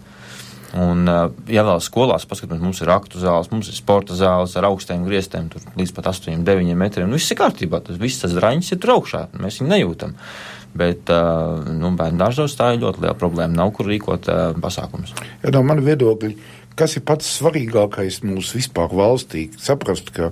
Un, ja vēl skolās paskatāmies, mums ir aktu zāles, mums ir sporta zāles ar augstiem griestiem, tur līdz pat 8-9 metriem, viss ir kārtībā, viss tas draņas ir tur augšā, mēs viņu nejūtam. Bet bērndārzos tā ir ļoti liela problēma, nav kur rīkot pasākumus. Ja no mani viedokļi, kas ir pats svarīgākais mūsu vispār valstī, saprast, ka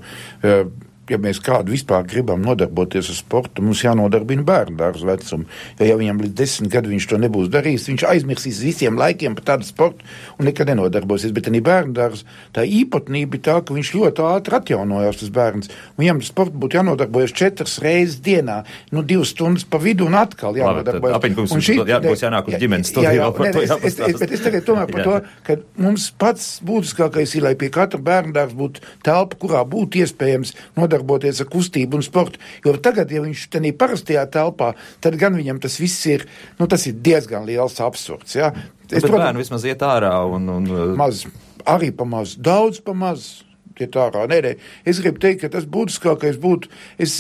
ja mēs kādu vispār gribam nodarboties ar sportu, mums jānodarbina bērndārs vecumu. Ja viņam līdz 10 gadu viņš to nebūs darījis, viņš aizmirsīs visiem laikiem par tādu sportu un nekad nenodarbosies. Bet arī bērndārs tā īpatnība ir tā, ka viņš ļoti ātri atjaunojās tas bērns. Un viņam sportu būtu jānodarbojas 4 reizes dienā, 2 stundas pa vidu un atkal jānodarbojas. Apiņkungs, būs jānāk uz ģimenes studiju. Bet es tagad tomēr par to, ka mums pats būtiskākais ir, lai pie katra bērndārs būtu telpa, kurā būtu iespējams nodarboties ar kustību un sportu, jo tagad, ja viņš tenī parastajā telpā, tad gan viņam tas viss ir, tas ir diezgan liels absurds, jā. Bet bērni vismaz iet ārā un... Maz, arī pamaz, daudz pamaz. Nē. Es gribu teikt, ka tas būtiskākais būtu, es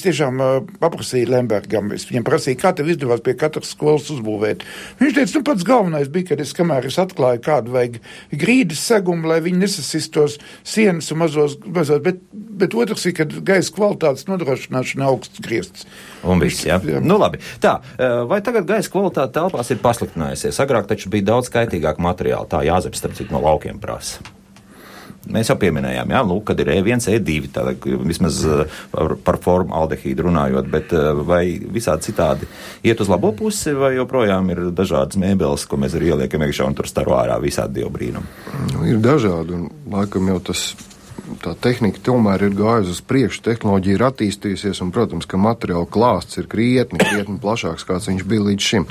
tiešām paprasīju Lembergam, es viņam prasīju, kā tev izdevās pie katras skolas uzbūvēt. Viņš teica, pats galvenais bija, kad kamēr es atklāju kādu vajag grīdas segumu, lai viņi nesasistos sienas un mazos, bet otrs ir, kad gaisa kvalitātes nodrošināšana augsts griezts. Un viss, jā. Labi. Tā, vai tagad gaisa kvalitāte telpās ir pasliktinājusies? Agrāk taču bija daudz kaitīgāk materiāli, tā Jāzeps, starp citu, no laukiem prasa. Mēs jau pieminējām, kad ir E1, E2, tāda vismaz par formu aldehīdu runājot, bet vai visādi citādi iet uz labo pusi, vai joprojām ir dažādas mēbeles, ko mēs arī ieliekam iekšā un tur staro ārā visādi dievu brīnumi? Ir dažādi, un laikam jau tā tehnika tomēr ir gājusi uz priekšu, tehnoloģija ir attīstījusies, un, protams, ka materiāla klāsts ir krietni plašāks, kāds viņš bija līdz šim.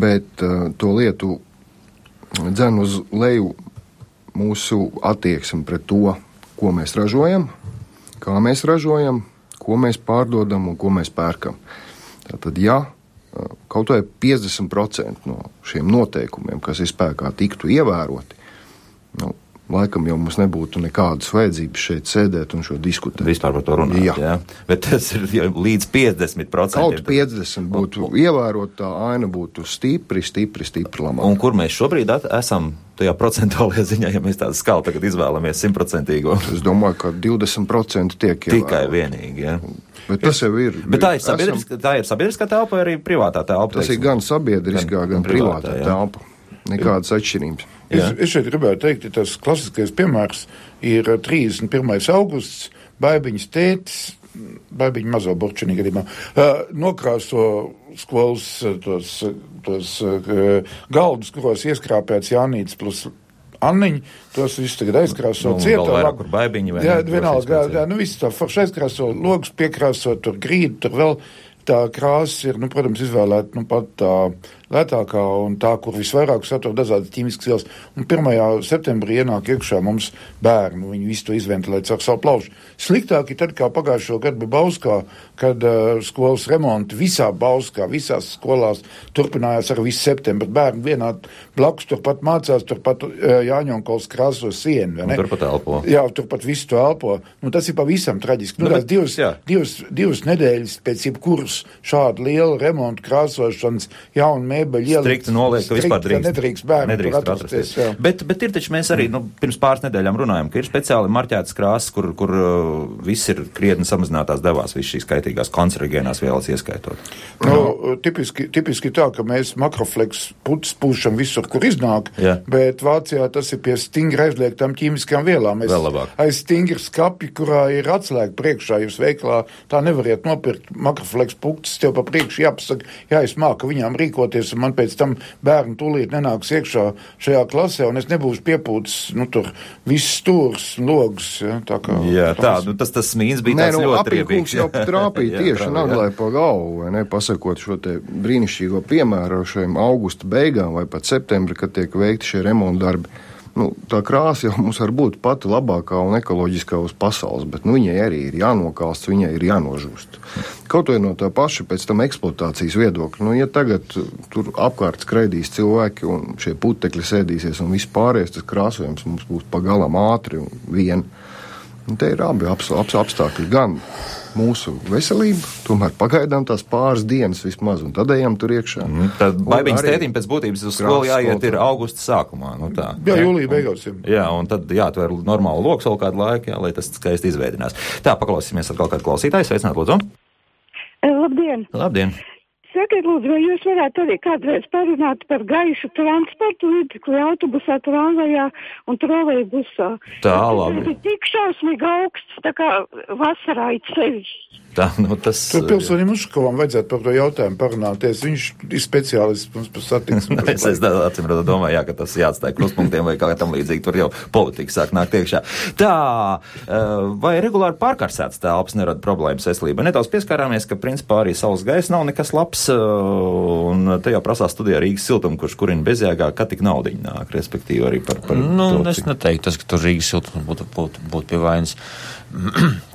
Bet to lietu dzen uz leju mūsu attieksmi pret to, ko mēs ražojam, kā mēs ražojam, ko mēs pārdodam un ko mēs pērkam. Tātad, ja kaut vai 50% no šiem noteikumiem, kas ir spēkā, tiktu ievēroti, laikam jau mums nebūtu nekādas vajadzības šeit sēdēt un šo diskutēt. Vispār par to runāt, jā. Bet tas ir līdz 50%. Kaut 50 būtu ievērot, tā aina būtu stipri labāk. Un kur mēs šobrīd esam tajā procentuālajā ziņā, ja mēs tādu skalu tagad izvēlamies 100%? Es domāju, ka 20% tiek ievērot. Tikai vienīgi, jā. Bet tas jau ir. Bet tā ir sabiedriskā telpa vai arī privātā telpa? Tas ir gan sabiedriskā, gan privātā telpa. Nekādas atšķirības. Es šeit gribētu teikt, ka tas klasiskais piemērs ir 31. augusts, Baibiņas tētis, Baibiņa mazo burčinī gadījumā, nokrāso skolas tos galdus, kuros ieskrāpēts Jānītis plus Anniņa, tos visus tagad aizkrāso cietā. Vairāk, kur Baibiņi vai jā, vienalga, visu tā forši aizkrāso, logus piekrāso, tur grīdu, tur vēl tā krāsa ir, protams, izvēlēta, pat tā lētākā un tā, kur visvairāk satur dažādas ķīmiskas vielas. Un 1. septembrī ienāk iekšā mums bērni, viņi visu to izventilē caur savu plaušu. Sliktāk ir tad, kā pagājušo gadu bija Bauskā, kad skolas remonti visā Bauskā, visās skolās turpinājās ar visu septembri. Bērni vienā blakus turpat mācās, turpat Jāņonkols krāso sienu. Turpat elpo. Jā, turpat visu to elpo. Tas ir pavisam traģiski. Divas nedēļas pēc jebkuras šāda liela remonta krāsošanas jauna strikti noliek, ka vispār nedrīkst bērni tur atrasties. Bet ir taču mēs arī pirms pāris nedēļām runājam, ka ir speciāli marķētas krāsas, kur viss ir krietni samazinātās devās, viss šīs kaitīgās kancerogēnās vielas ieskaitot. Tipiski tā, ka mēs makrofleks putas pūšam visur, kur iznāk, bet Vācijā tas ir pie stingri aizliegtām ķīmiskām vielām. Aiz stingri skapi, kurā ir atslēga priekšā, jūs veiklā tā nevariet nopirkt makrofleks putas, tev pa priekšu jāpasaka, jāizmāka viņām rīkoties, un man pēc tam bērni tūlīt nenāks iekšā šajā klasē, un es nebūšu piepūtis, tur viss stūrs, logs, tā kā. Jā, tas smīns bija tāds ļoti riebīgs. Jau trāpīja tieši naglai pa galvu, vai ne, pasakot šo te brīnišķīgo piemēru šiem augusta beigām vai pat septembri, kad tiek veikti šie remonta darbi. Tā krāsa jau mums var būt pati labākā un ekoloģiskā uz pasaules, bet viņai arī ir jānokalst, viņai ir jānožūst. Kaut vai no tā paša pēc tam eksploatācijas viedokļa. Ja tagad tur apkārt skraidīs cilvēki un šie putekļi sēdīsies un viss pārējais, tas krāsojums mums būs pagalam ātri un vien. Te ir abi apstākļi, gan mūsu veselība, tomēr pagaidām tās pāris dienas vismaz, un tad ejam tur iekšā. Tad Baibiņas tētim pēc būtības uz skolu jāiet ir augusta sākumā. Jā, jūlija beigās. Jā, un tad jāatver normālu loks vēl kādu laiku, lai tas skaisti izveidinās. Tā, paklausīsimies atkal kādu klausītāju. Sveicināt, lūdzu. Labdien. Labdien. Sakiet, lūdzu, vai jūs varētu arī kādreiz parunāt par gaišu transportu līdzekli autobusā, tramvajā un trolejbusā? Tā, labi. Tas ir tik šausmīgi augsts, tā kā vasarā it sevišķi. Tur pilsonim Uškovam vajadzētu par to jautājumu parunāties. Viņš ir speciālists mums par satiksmi. Es atsimredzot domāju, ka tas jāatstāja kruspunktiem vai kā tam līdzīgi. Tur jau politika sāk nākt iekšā. Tā, vai regulāri pārkarsētas telpas nerada problēmas veselībai? Nedaudz pieskārāmies, ka principā arī saules gaisa nav nekas labs, un te jau prasās studijā Rīgas siltumu, kurš kurina bezjēgā, kad tik naudiņa nāk, respektīvi arī par to. Es neteiktu, ka tur Rīgas siltums būtu pie vainas.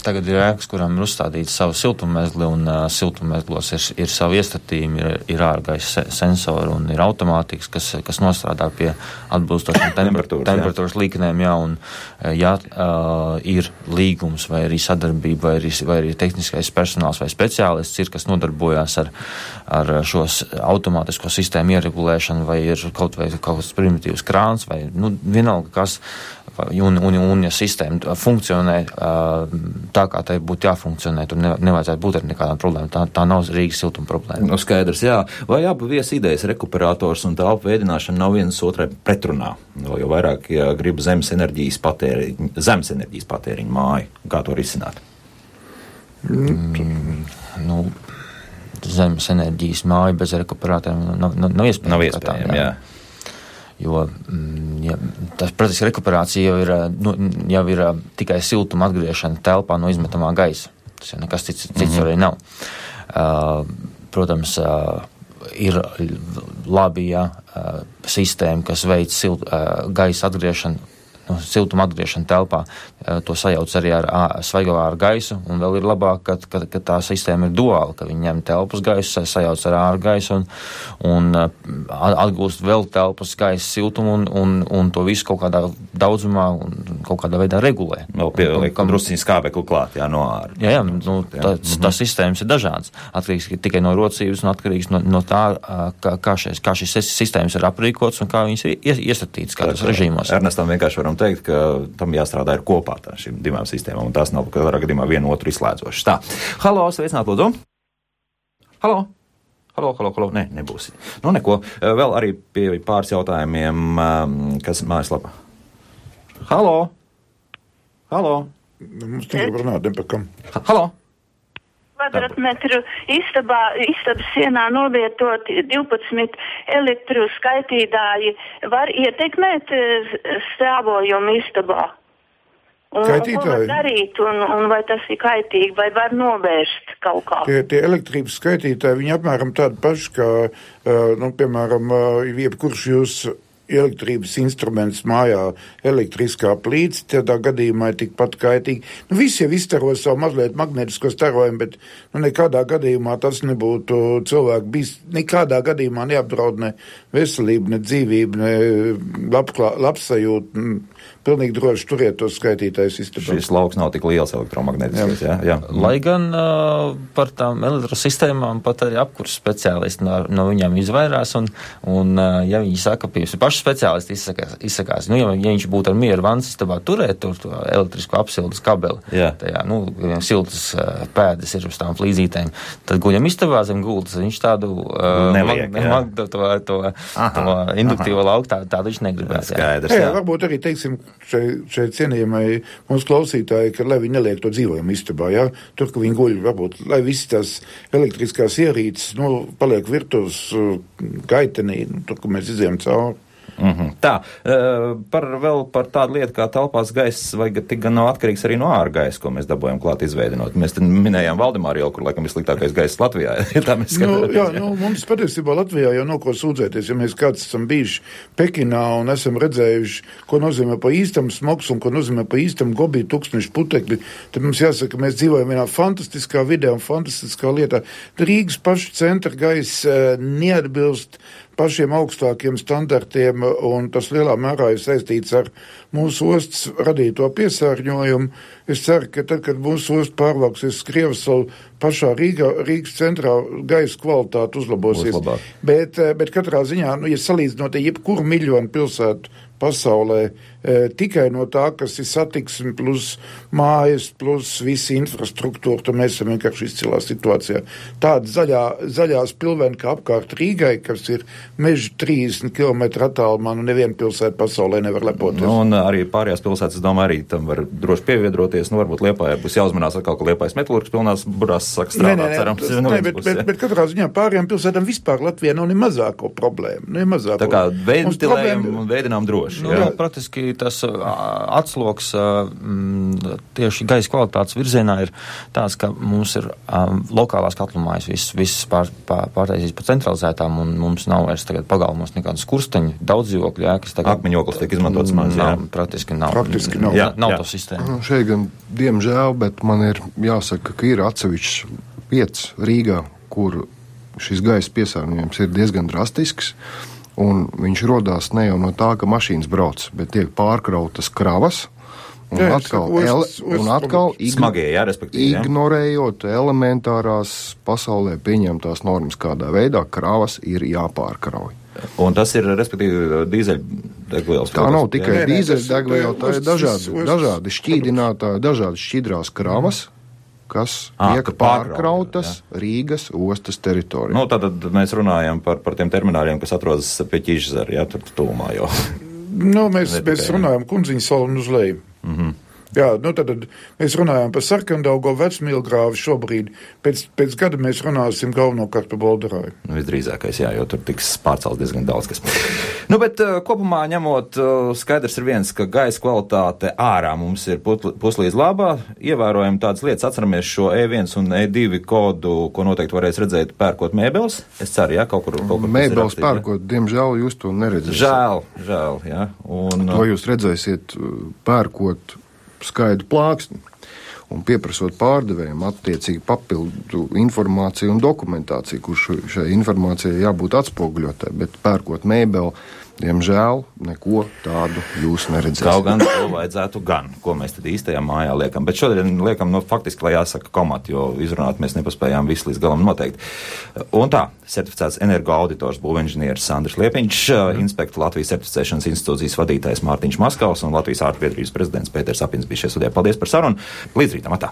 Tagad ir ēkas, kurām ir uzstādīts savu siltummezgli, un siltummezglos ir savi iestatījumi, ir ārgaisa sensori un ir automātikas, kas nostrādā pie atbilstošiem temperatūras līknēm, un ir līgums vai arī sadarbība vai arī tehniskais personāls vai speciālists kas nodarbojās ar šos automātisko sistēmu ieregulēšanu, vai ir kaut kāds primitīvs krāns, vai vienalga kas. Un ja sistēma funkcionē tā, kā tai būtu jāfunkcionē, tur nevajadzētu būt ar nekādām problēmām. Tā nav Rīgas siltuma problēma. Skaidrs, jā. Vai abu viesi idejas rekuperators un telpu veidināšana nav viens otrai pretrunā? Jo vairāk, ja grib zemes enerģijas patēriņu māju, kā to risināt? Zemes enerģijas māju bez rekuperatoriem nav iespējams. Nav iespējams, jā. Jo tas, protams, rekuperācija jau ir tikai siltuma atgriešana telpā no izmetamā gaisa. Tas jau nekas cits arī nav. Protams, ir labi, sistēma, kas veic gaisa atgriešanu siltuma atgriešana telpā. To sajauc arī ar svaigo āru gaisu, un vēl ir labāk, ka tā sistēma ir duāla, ka viņi ņem telpas gaisu, sajauc ar āru gaisu un atgūst vēl telpas gaisa siltumu un to visu kaut kādā daudzumā un kaut kādā veidā regulē. Vēl pieliek drusciņu skābekli klāt, no āra. Jā, tās sistēmas ir dažādas. Atkarīgs tikai no rocības un atkarīgs no tā, kā šīs sistēmas ir aprīkotas un kā viņas ir iesatītas kādos režīmos. Ernestam vienkārši varam teikt, ka tam jāstrādā ir kopā šīm divām sistēmām, un tās nav katrā gadījumā vienu otru izslēdzošas. Tā. Halo, sveicināt, lūdzu. Halo. Nē, nebūs. Nu, neko. Vēl arī pie pāris jautājumiem, kas mājaslapā. Halo. Mums nevar runāt, nepakam. Halo. Kvadratmetru istabas sienā novietoti 12 elektroskaitītāji var ietekmēt stāvojumu istabā? Skaitītāji? Ko var darīt, un vai tas ir kaitīgi, vai var novērst kaut kā? Tie elektrības skaitītāji, viņi apmēram tādi paši, kā, piemēram, jebkurš jūs elektrības instruments mājā, elektriskā plīts, tādā gadījumā ir tikpat kaitīgi. Visi jau izstaro savu mazliet magnētisko starojumu, bet nekādā gadījumā tas nebūtu cilvēku bijis, nekādā gadījumā neapdraud ne veselību, ne dzīvību, ne labsajūtu. Pilnīgi droši turiet tos skaitītājus istabā. Šis lauks nav tik liels elektromagnētiskais, jā. Lai gan par tām elektrosistēmām pat arī apkurs speciālisti no viņām izvairās, un ja viņi saka, piemēram, paši speciālisti izsakās, ja viņš būtu ar mieru vannas istabā turēt to elektrisko apsildes kabeli, tajā, siltas pēdas ir uz tām flīzītēm, tad guļam istabā zem gultas, viņš tādu to induktīvo lauku tādu viņš negribēs. Jā, varbūt arī, teiksim, šeit cienījamai mums klausītāji, ka lai viņi neliek to dzīvojumu istabā, tur, ka viņi guļ, varbūt, lai visi tās elektriskās ierīces, paliek virtuves gaitenī, tur, ka mēs izējām cauri. Tā, vēl par tādu lietu kā telpās gaiss, vai tik gan nav atkarīgs arī no āra gaisa, ko mēs dabūjam klāt izveidinot. Mēs te minējām Valdemāru ielu, kur laikam vissliktākais gaiss Latvijā. Mums patiesībā Latvijā jau nav ko sūdzēties, ja mēs kāds esam bijuši Pekinā un esam redzējuši, ko nozīmē pa īstam smogs un ko nozīmē pa īstam gobī tūkstnešu putekļi, tad mums jāsaka, mēs dzīvojam vienā fantastiskā vidē un fantastiskā lietā. Rīgas paša centra gaiss neatbilst pašiem augstākiem standartiem, un tas lielā mērā ir saistīts ar mūsu ostas radīto piesārņojumu. Es ceru, ka tad, kad mūsu osta pārvāksies Krievsalu, pašā Rīgas centrā gaisa kvalitāte uzlabosies. Bet katrā ziņā, ja salīdzinot jebkuru miljonu pilsētu pasaulē, tikai no tā, kas ir satiksme plus mājas, plus visa infrastruktūra, tad mēs esam vienkārši izcilā situācijā. Tāda zaļās pilveni, kā apkārt Rīgai, kas ir meži 30 km attālumā, neviena pilsēta pasaulē nevar lepoties. Un arī pārējās pilsētas, es domāju, arī tam var droši pieviedroties. Varbūt Liepājai būs jāuzmanās atkal, ka Liepājas metalurgas pilnās burās saka strādāt, cerams. Bet katrā ziņā pārējām pilsētām vispār Latvijā nav ne mazāko problēmu. Tā kā ventilējam un veidinām droši. Praktiski tas atsloks tieši gaisa kvalitātes virzienā ir tāds, ka mums ir lokālās katlumājas viss pārtaisīs pa centralizētām, un mums nav vairs tagad pagalmos nekādas kursteņu, daudz dzīvokļu ēkas. Akmeņoklis tiek izmantots maz, Praktiski nav. Nav to sistēmu. Šeit gan, diemžēl, bet man ir jāsaka, ka ir atsevišķs vietas Rīgā, kur šis gaisa piesārņojums ir diezgan drastisks. Un viņš rodās ne jau no tā, ka mašīnas brauc, bet tiek pārkrautas kravas, un atkal ignorējot elementārās pasaulē pieņemtās normas, kādā veidā kravas ir jāpārkrauj. Un tas ir, respektīvi, dīzeļdegvielas. Tā nav tikai dīzeļdegviela, tā ir dažādi šķīdinātāji, dažādi šķidrās kravas, kas tiek pārkrautas Rīgas ostas teritorijā. Tātad mēs runājam par tiem termināļiem, kas atrodas pie Ķīžzara, tur tuvumā jau. Mēs runājam Kundziņu salu un uz leju. Jā, tad mēs runājām par Sarkandaugo vecmīlgrāvi šobrīd. Pēc gada mēs runāsim galvenokārt par Bolderāju. Visdrīzākais, jā, jo tur tiks pārcelts diezgan daudz kas. Bet kopumā ņemot, skaidrs ir viens, ka gaisa kvalitāte ārā mums ir puslīdz labā. Ievērojam tādas lietas, atceramies šo E1 un E2 kodu, ko noteikti varēs redzēt pērkot mēbeles. Es ceru, jā, kaut kur mēbeles pērkot, diemžēl jūs to neredzēsiet. Žēl, jā. To jūs redzēsiet pērkot skaidru plāksni un pieprasot pārdevējiem attiecīgi papildu informāciju un dokumentāciju, kurš šai informācijai jābūt atspoguļotai, bet pērkot mēbeli, diemžēl neko tādu jūs neredzēsiet. Kaut gan to vajadzētu gan, ko mēs tad īstajā mājā liekam. Bet šodien liekam, faktiski, lai jāsaka komati, jo izrunāt mēs nepaspējām visu līdz galam noteikti. Un tā, certificēts energoauditors būvinženieris Sandrs Liepiņš, inspektu Latvijas certificēšanas institūcijas vadītājs Mārtiņš Maskavs un Latvijas ārstbiedrības prezidents Pēters Apins bija šie studijā. Paldies par sarunu. Līdz rītam, atā!